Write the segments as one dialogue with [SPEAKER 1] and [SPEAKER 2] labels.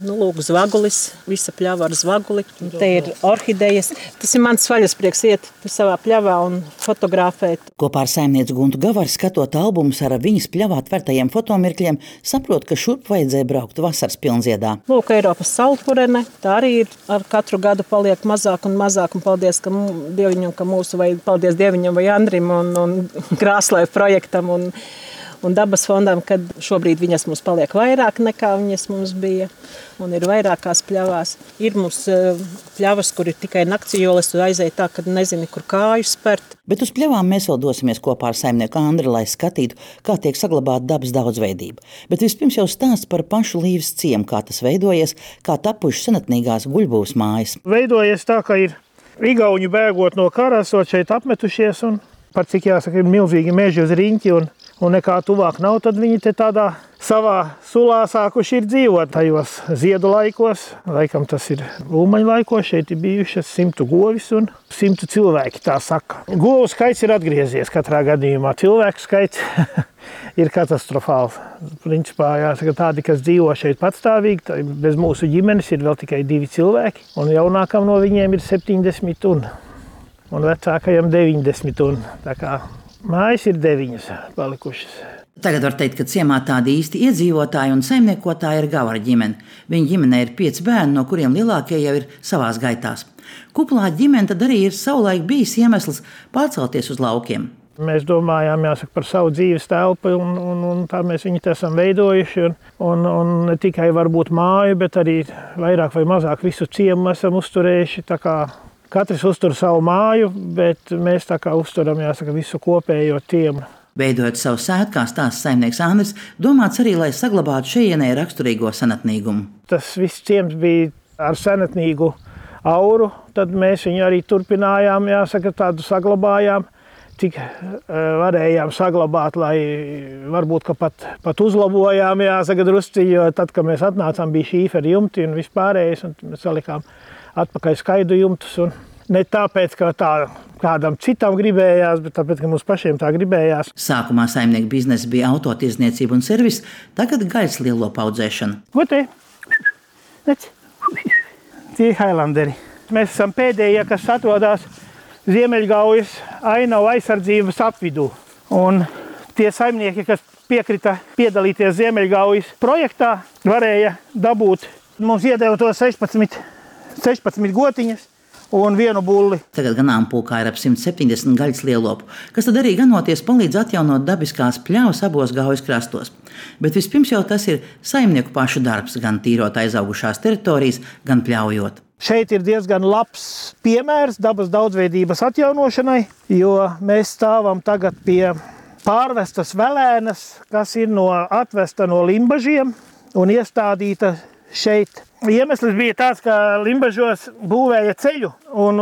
[SPEAKER 1] Lūk, zvagulis, visa pļava ar zvaguli. Te ir orhidejas. Tas ir mans vaļasprieks iet savā pļavā un fotografēt.
[SPEAKER 2] Kopā ar saimnieci Guntu Gavaru, skatot albumus ar viņas pļavā tvertajiem fotomirkļiem, saprot, ka šurp vajadzēja braukt vasaras pilnziedā.
[SPEAKER 1] Lūk, Eiropas saulpurene. Tā arī ir ar katru gadu paliek mazāk un mazāk. Un paldies Dieviņam, ka mūsu, vai paldies Dieviņam vai Andrim un Krāslai projektam un dabas fondam, kad šobrīd viņas mums paliek vairāk nekā viņas mums bija. Un ir vairākās pļavās. Ir mums pļavas, kur ir tikai naktsjoles, tu aizēji tā, kad nezini, kur kāju spert.
[SPEAKER 2] Bet uz pļavām mēs vēl dosimies kopā ar saimnieku Andri, lai skatītu, kā tiek saglabāta dabas daudzveidība. Bet vispirms jau stāsts par pašu Līves ciemu, kā tas veidojies, kā tapušas senatnīgās guļbūvs mājas.
[SPEAKER 3] Veidojies tā, ka ir igauņi bēgot no kara, esot šeit apmetušies un par cik jāsaka, ir milzīgi meži uz riņķi un nekā tuvāk nav, tad viņi te tādā savā sulā sākuši ir dzīvot tajos ziedu laikos. Laikam tas ir Ulmaņu laikos, šeit ir bijušas 100 govis un 100 cilvēki, tā saka. Govu skaits ir atgriezies katrā gadījumā, cilvēku skaits ir katastrofāls. Principā jāsaka tādi, kas dzīvo šeit patstāvīgi, bez mūsu ģimenes ir vēl tikai 2 cilvēki, un jaunākam no viņiem ir 70 un vecākajam 90 tā kā mājas ir 9 palikušas.
[SPEAKER 2] Tagad var teikt, ka ciemā tādi īsti iedzīvotāji un saimniekotāji ir Gavara ģimene. Viņa ģimenē ir 5 bērni, no kuriem lielākie jau ir savās gaitās. Kuplā ģimene tad arī ir savulaik bijis iemesls pārcelties uz laukiem.
[SPEAKER 3] Mēs domājām, jāsaka, par savu dzīves telpu un tā mēs viņu esam veidojuši. Un ne tikai varbūt māju, bet arī vairāk vai mazāk visu ciemu esam uzturējuši. Tā kā katrs uztur savu māju, bet mēs tā kā uzturam, jāsaka, visu kopējo ciemu.
[SPEAKER 2] Veidojot savu sētu, kā stāsta saimnieks Andris, domāts arī, lai saglabātu šejienē raksturīgo senatnīgumu.
[SPEAKER 3] Tas viss ciems bija ar senatnīgu auru, tad mēs viņu arī turpinājām, jāsaka, tādu saglabājām, cik varējām saglabāt, lai varbūt, ka pat uzlabojām, jāsaka, drusciņi, jo tad, kad mēs atnācām, bija šīferi jumti un vispārējais, un mēs salikām atpakaļ skaidu jumtus. Un ne tāpēc, ka tā kādam citam gribējās, bet tāpēc, ka mums pašiem tā gribējās.
[SPEAKER 2] Sākumā saimnieku biznesa bija autotirdzniecība un servis, tagad gaļas lielopu audzēšana.
[SPEAKER 3] Ko te? Tie Highlanderi. Mēs esam pēdējie, kas atrodas Ziemeļgaujas ainavu aizsardzības apvidū. Un tie saimnieki, kas piekrita piedalīties Ziemeļgaujas projektā, varēja dabūt. Mums iedeva to 16 gotiņas un 1 bulli.
[SPEAKER 2] Tagad ganāmpulkā ir ap 170 gaļas lielopu, kas tad arī ganoties palīdz atjaunot dabiskās pļavas abos Gaujas krastos. Bet vispirms jau tas ir saimnieku pašu darbs, gan tīrot aizaugušās teritorijas, gan pļaujot.
[SPEAKER 3] Šeit ir diezgan labs piemērs dabas daudzveidības atjaunošanai, jo mēs stāvam tagad pie pārvestas velēnas, kas ir atvesta no Limbažiem un iestādīta šeit. Iemesls bija tāds, ka Limbažos būvēja ceļu un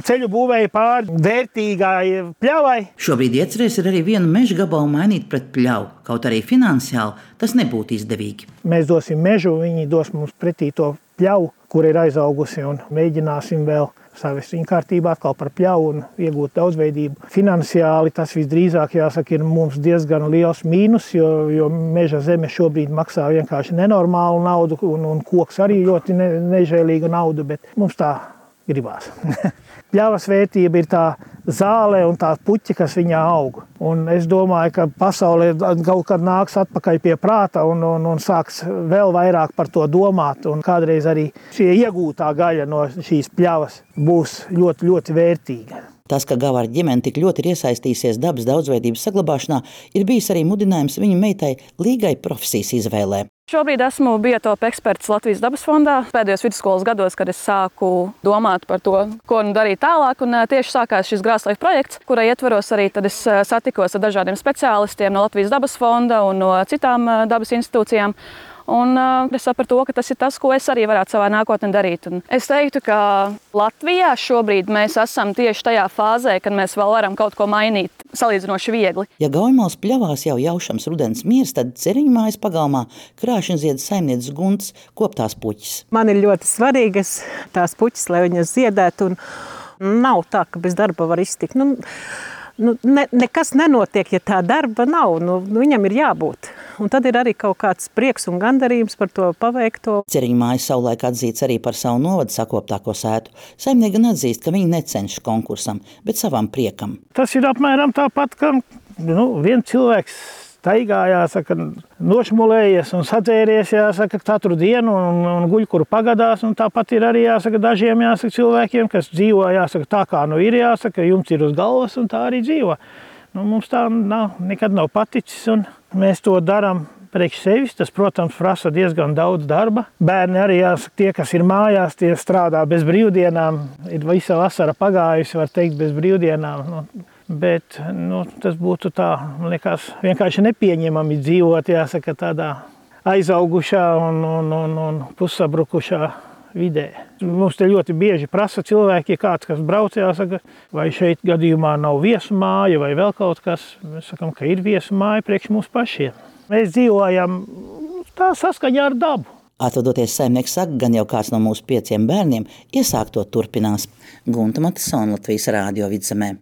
[SPEAKER 3] ceļu būvēja pāri vērtīgai pļavai.
[SPEAKER 2] Šobrīd iecerēs ir arī vienu meža gabalu mainīt pret pļavu, kaut arī finansiāli tas nebūtu izdevīgi.
[SPEAKER 3] Mēs dosim mežu, viņi dos mums pretī to pļavu, kur ir aizaugusi, un mēģināsim vēl savest viņu kārtībā atkal par pļavu un iegūt daudzveidību. Finansiāli tas visdrīzāk, jāsaka, ir mums diezgan liels mīnus, jo meža zeme šobrīd maksā vienkārši nenormālu naudu, un koks arī ļoti nežēlīga nauda, bet mums tā gribās. Pļavas vērtība ir tā zāle un tā puķi, kas viņā aug. Un es domāju, ka pasaulē kaut kad nāks atpakaļ pie prāta un sāks vēl vairāk par to domāt. Un kādreiz arī šie iegūtā gaļa no šīs pļavas būs ļoti, ļoti vērtīga.
[SPEAKER 2] Tas, ka Gavara ģimene tik ļoti ir iesaistījusies dabas daudzveidības saglabāšanā, ir bijis arī mudinājums viņa meitai Līgai profesijas izvēlē.
[SPEAKER 4] Šobrīd esmu biotopa eksperts Latvijas dabas fondā. Pēdējos vidusskolas gados, kad es sāku domāt par to, ko darīt tālāk, un tieši sākās šis Grāslaiva projekts, kura ietvaros arī tad es satikos ar dažādiem speciālistiem no Latvijas dabas fonda un no citām dabas institūcijām. Un es sapratu, ka tas ir tas, ko es arī varētu savā nākotnē darīt. Un es teiktu, ka Latvijā šobrīd mēs esam tieši tajā fāzē, kad mēs vēl varam kaut ko mainīt salīdzinoši viegli.
[SPEAKER 2] Ja Gaujmales pļavās jau jaušams rudens miers, tad Ceriņu mājas pagalmā Krāšņziedu saimnieces Guntas koptās puķis.
[SPEAKER 1] Man ir ļoti svarīgas tās puķis, lai viņas ziedētu, un nav tā, ka bez darba var iztikt. Nekas nenotiek, ja tā darba nav. Viņam ir jābūt. un tad ir arī kaut kāds prieks un gandarījums par to paveikto.
[SPEAKER 2] Ceriņu mājas savulaik atzīts arī par savu novadu sakoptāko sētu. Saimnieki gan atzīst, ka viņi necenšas konkursam, bet savam priekam.
[SPEAKER 3] Tas ir apmēram tāpat, ka viens cilvēks staigā, jāsaka, nošmulējies un sadzēries, jāsaka, katru dienu un guļ, kuru pagadās. Un tāpat ir arī, jāsaka, dažiem, jāsaka, cilvēkiem, kas dzīvo, jāsaka, tā kā ir, jāsaka, jums ir uz galvas un tā arī dzīvo. Mums tā nekad nav paticis un mēs to darām priekš sevis. Tas, protams, prasa diezgan daudz darba. Bērni arī, jāsaka, tie, kas ir mājās, tie strādā bez brīvdienām. Ir visa vasara pagājusi, var teikt, bez brīvdienām. Bet tas būtu tā, man liekas, vienkārši nepieņemami dzīvot, jāsaka, tādā aizaugušā un pussabrukušā vidē. Mums te ļoti bieži prasa cilvēki, kāds, kas brauc, jāsaka, vai šeit gadījumā nav viesu māja vai vēl kaut kas. Mēs sakam, ka ir viesu māja priekš mums pašiem. Mēs dzīvojam tā saskaņā ar dabu.
[SPEAKER 2] Atvadoties, saimnieks saka, gan jau kāds no mūsu 5 bērniem iesākt to turpinās. Gunta Matisona, Latvijas Rādio Vidzemē.